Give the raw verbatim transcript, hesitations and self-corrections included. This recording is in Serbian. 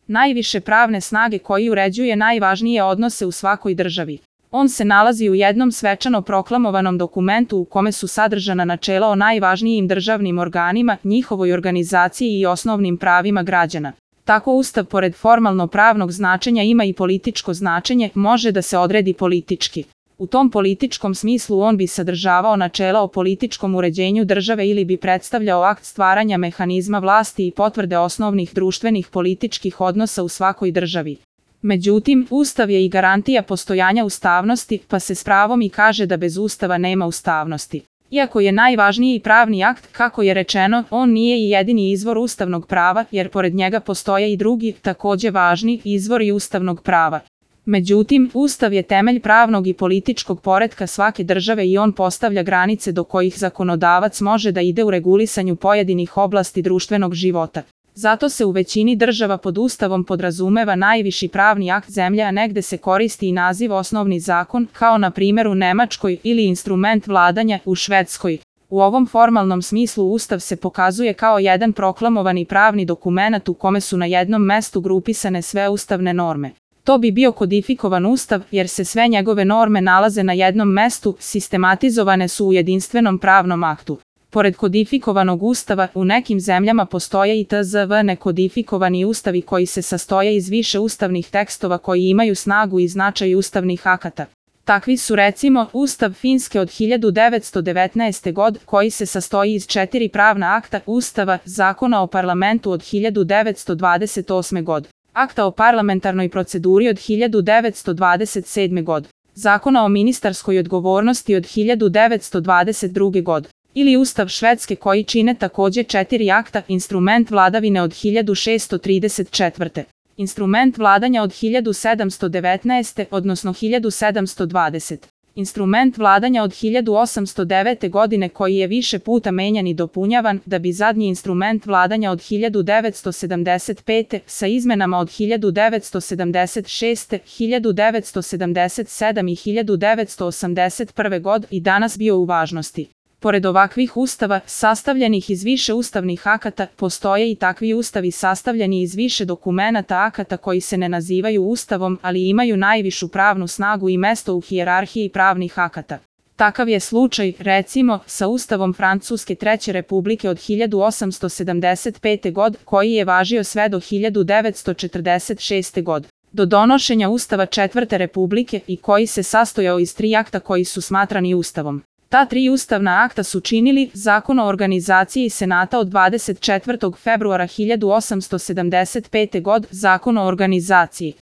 najviše pravne snage koji uređuje najvažnije odnose u svakoj državi. On se nalazi u jednom svečano proklamovanom dokumentu u kome su sadržana načela o najvažnijim državnim organima, njihovoj organizaciji i osnovnim pravima građana. Tako Ustav pored formalno pravnog značenja ima i političko značenje, može da se odredi politički. U tom političkom smislu on bi sadržavao načela o političkom uređenju države ili bi predstavljao akt stvaranja mehanizma vlasti i potvrde osnovnih društvenih političkih odnosa u svakoj državi. Međutim, Ustav je i garantija postojanja ustavnosti, pa se s pravom i kaže da bez Ustava nema ustavnosti. Iako je najvažniji pravni akt, kako je rečeno, on nije i jedini izvor ustavnog prava, jer pored njega postoje i drugi, takođe važni, izvori ustavnog prava. Međutim, Ustav je temelj pravnog i političkog poretka svake države i on postavlja granice do kojih zakonodavac može da ide u regulisanju pojedinih oblasti društvenog života. Zato se u većini država pod Ustavom podrazumeva najviši pravni akt zemlje, a negde se koristi i naziv osnovni zakon, kao na primjer u Nemačkoj, ili instrument vladanja u Švedskoj. U ovom formalnom smislu Ustav se pokazuje kao jedan proklamovani pravni dokumenat u kome su na jednom mestu grupisane sve ustavne norme. To bi bio kodifikovan Ustav, jer se sve njegove norme nalaze na jednom mestu, sistematizovane su u jedinstvenom pravnom aktu. Pored kodifikovanog Ustava, u nekim zemljama postoje i tzv. Nekodifikovani ustavi koji se sastoje iz više ustavnih tekstova koji imaju snagu i značaj ustavnih akata. Takvi su recimo Ustav Finske od hiljadu devetsto devetnaeste. godine koji se sastoji iz četiri pravna akta, Ustava, Zakona o parlamentu od hiljadu devetsto dvadeset osme. godine, Akta o parlamentarnoj proceduri od hiljadu devetsto dvadeset sedme. godine, Zakona o ministarskoj odgovornosti od hiljadu devetsto dvadeset druge. godine, ili Ustav Švedske koji čine takođe četiri akta, instrument vladavine od hiljadu šeststo trideset četvrte. Instrument vladanja od hiljadu sedamsto devetnaeste. odnosno hiljadu sedamsto dvadesete. Instrument vladanja od hiljadu osamsto devete. godine koji je više puta menjan i dopunjavan, da bi zadnji instrument vladanja od hiljadu devetsto sedamdeset pete. sa izmenama od hiljadu devetsto sedamdeset šeste., hiljadu devetsto sedamdeset sedme. i hiljadu devetsto osamdeset prve. godine i danas bio u važnosti. Pored ovakvih ustava, sastavljenih iz više ustavnih akata, postoje i takvi ustavi sastavljeni iz više dokumenata akata koji se ne nazivaju ustavom, ali imaju najvišu pravnu snagu i mesto u hijerarhiji pravnih akata. Takav je slučaj, recimo, sa Ustavom Francuske Treće Republike od hiljadu osamsto sedamdeset pete. godine, koji je važio sve do hiljadu devetsto četrdeset šeste. godine. Do donošenja Ustava Četvrte Republike i koji se sastojao iz tri akta koji su smatrani ustavom. Ta tri ustavna akta su činili Zakon o organizaciji Senata od dvadeset četvrtog februara hiljadu osamsto sedamdeset pete. godine, Zakon o organizaciji